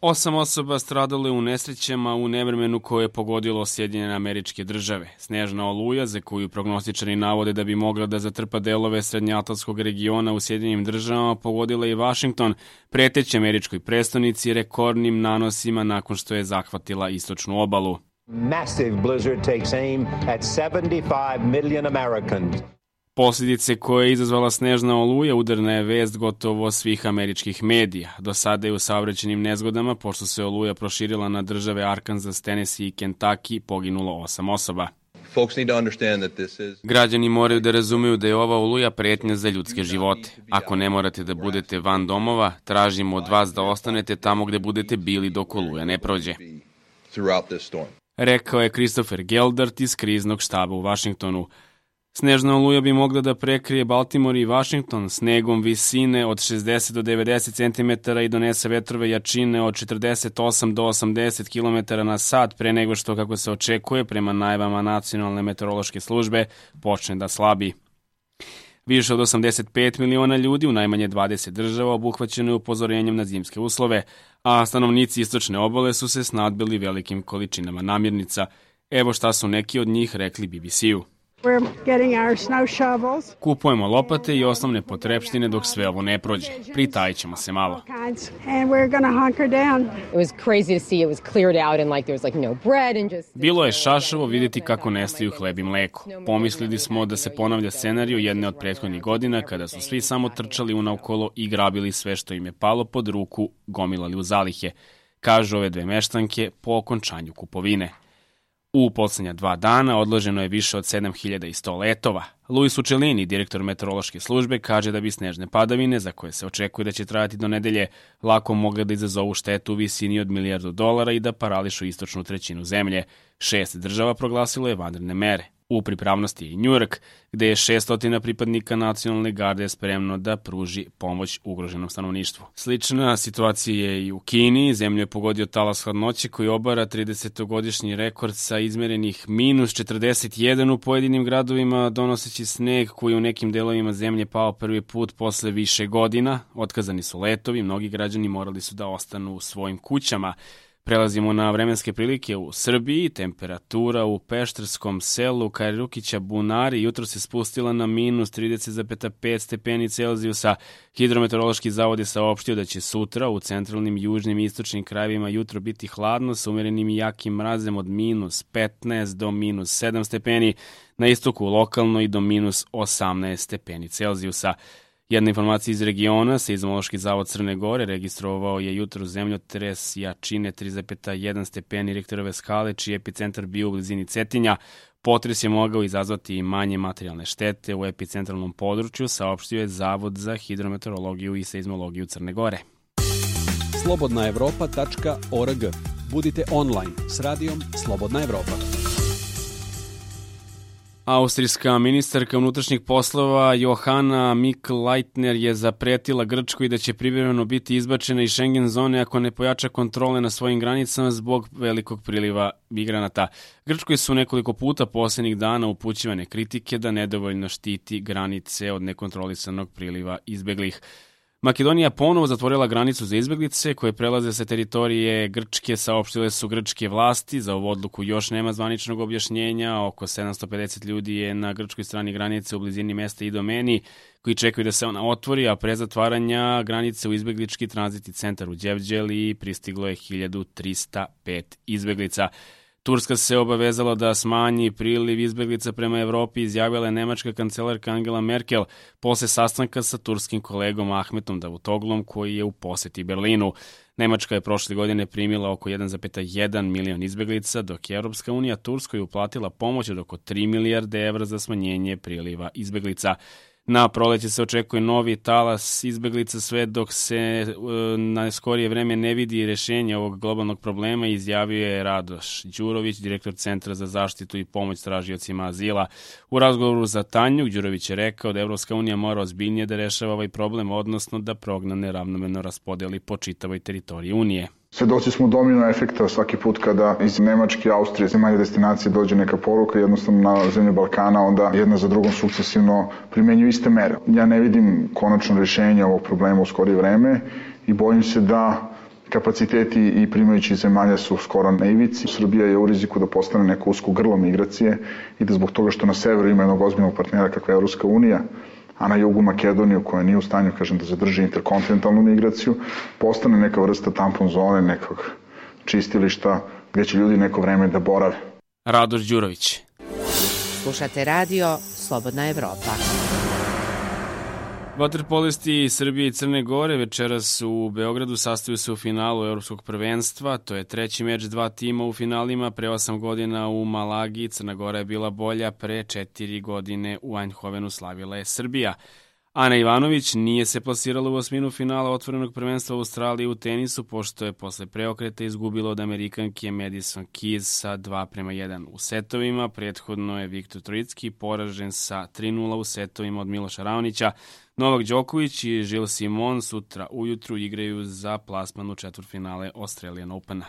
8 osoba stradalo je u nesrećama u nevremenu koje je pogodilo Sjedinjene Američke Države. Snežna oluja, za koju prognostičari navode da bi mogla da zatrpa delove srednjoatlantskog regiona u Sjedinjenim Državama, pogodila i Vašington, preteći američkoj prestonici rekordnim nanosima nakon što je zahvatila istočnu obalu. Massive blizzard takes aim at 75 million Americans. Posljedice koje je izazvala snežna oluja udarna je vest gotovo svih američkih medija. Do sada je u saobraćajnim nezgodama, pošto se oluja proširila na države Arkansas, Tennessee i Kentucky, poginulo 8 osoba. Građani moraju da razumeju da je ova oluja pretnja za ljudske živote. Ako ne morate da budete van domova, tražimo od vas da ostanete tamo gde budete bili dok oluja ne prođe. Rekao je Christopher Geldart iz kriznog štaba u Vašingtonu. Snežna oluja bi mogla da prekrije Baltimore i Washington snegom visine od 60 do 90 cm i donese vetrove jačine od 48 do 80 km na sat pre nego što, kako se očekuje, prema najavama Nacionalne meteorološke službe, počne da slabi. Više od 85 miliona ljudi u najmanje 20 država obuhvaćeno je upozorenjem na zimske uslove, a stanovnici istočne obale su se snadbili velikim količinama namirnica. Evo šta su neki od njih rekli BBC-u. Kupujemo lopate i osnovne potrepštine dok sve ovo ne prođe. Pritajit ćemo se malo. Bilo je šašavo vidjeti kako nestaju hleb i mleko. Pomislili smo da se ponavlja scenariju jedne od prethodnih godina kada su svi samo trčali unaokolo i grabili sve što im je palo pod ruku, gomilali u zalihe, kažu ove dve meštanke po okončanju kupovine. U poslednja 2 dana odloženo je više od 7100 letova. Luis Uccellini, direktor meteorološke službe, kaže da bi snežne padavine, za koje se očekuje da će trajati do nedelje, lako mogle da izazovu štetu u visini od $1 milijardu i da parališu istočnu trećinu zemlje. 6 država proglasilo je vanredne mere. U pripravnosti je i Njujork, gde je 600 pripadnika nacionalne garde spremno da pruži pomoć ugroženom stanovništvu. Slična situacija je i u Kini. Zemlju je pogodio talas hladnoće koji obara 30-godišnji rekord sa izmerenih -41 u pojedinim gradovima, donoseći sneg koji u nekim delovima zemlje pao prvi put posle više godina. Otkazani su letovi, mnogi građani morali su da ostanu u svojim kućama. Prelazimo na vremenske prilike u Srbiji. Temperatura u pešterskom selu Kajrukića Bunari jutro se spustila na -30,5 stepeni Celzijusa. Hidrometeorološki zavod je saopštio da će sutra u centralnim, južnim i istočnim krajevima jutro biti hladno sa umerenim i jakim mrazem od -15 do -7 stepeni, na istoku lokalno i do -18 stepeni Celzijusa. Jedna informacija iz regiona, Seizmološki zavod Crne Gore registrovao je jutro zemljotres jačine 3,1 stepeni Richterove skale, čiji epicentar bio u blizini Cetinja. Potres je mogao izazvati i manje materijalne štete u epicentralnom području, saopštio je Zavod za hidrometeorologiju i seizmologiju Crne Gore. slobodnaevropa.org. Budite online s radijom Slobodna Evropa. Austrijska ministarka unutrašnjih poslova Johanna Mikl-Leitner je zapretila Grčkoj da će privremeno biti izbačena iz Schengen zone ako ne pojača kontrole na svojim granicama zbog velikog priliva migranata. Grčkoj su nekoliko puta poslednjih dana upućivane kritike da nedovoljno štiti granice od nekontrolisanog priliva izbeglih. Makedonija ponovo zatvorila granicu za izbeglice koje prelaze sa teritorije Grčke, saopštile su grčke vlasti. Za ovu odluku još nema zvaničnog objašnjenja. Oko 750 ljudi je na grčkoj strani granice u blizini mesta Idomeni, koji čekaju da se ona otvori, a pre zatvaranja granice u izbeglički tranzitni centar u Đevđeli pristiglo je 1305 izbeglica. Turska se obavezala da smanji priliv izbeglica prema Evropi, izjavila je nemačka kancelarka Angela Merkel posle sastanka sa turskim kolegom Ahmetom Davutoglom koji je u poseti Berlinu. Nemačka je prošle godine primila oko 1,1 milion izbeglica, dok je Europska unija Turskoj uplatila pomoć od oko 3 milijarde evra za smanjenje priliva izbeglica. Na proleće se očekuje novi talas izbeglica sve dok se na skorije vreme ne vidi rešenje ovog globalnog problema, izjavio je Radoš Đurović, direktor Centra za zaštitu i pomoć tražiocima azila. U razgovoru za Tanjuk, Đurović je rekao da Evropska unija mora ozbiljnije da rešava ovaj problem, odnosno da prognane ravnomerno raspodeli po čitavoj teritoriji Unije. Svedoci smo domino efekta svaki put kada iz Nemačke, Austrije, zemalja destinacije dođe neka poruka, jednostavno na zemlje Balkana, onda jedna za drugom sukcesivno primenjuju iste mere. Ja ne vidim konačno rešenje ovog problema u skorije vreme i bojim se da Kapaciteti i primajući zemalja su skoro na ivici. Srbija je u riziku da postane neko usko grlo migracije i da zbog toga što na severu ima jednog ozbiljnog partnera kakva je Evropska unija, a na jugu Makedoniju, koja nije u stanju, da zadrži interkontinentalnu migraciju, postane neka vrsta tampon zone, nekog čistilišta gde će ljudi neko vreme da borave. Radoš Đurović. Slušate radio Slobodna Evropa. Vaterpolisti Srbije i Crne Gore večeras u Beogradu sastaju se u finalu Evropskog prvenstva. To je treći meč dva tima u finalima. Pre 8 godina u Malagi Crna Gora je bila bolja, pre 4 godine u Eindhovenu slavila je Srbija. Ana Ivanović nije se plasirala u osminu finala otvorenog prvenstva u Australiji u tenisu, pošto je posle preokreta izgubila od Amerikanke Madison Keys sa 2:1 u setovima. Prethodno je Viktor Trojicki poražen sa 3:0 u setovima od Miloša Raonića. Novak Đoković i Gilles Simon sutra ujutru igraju za plasman u četvrtfinale Australian Opena.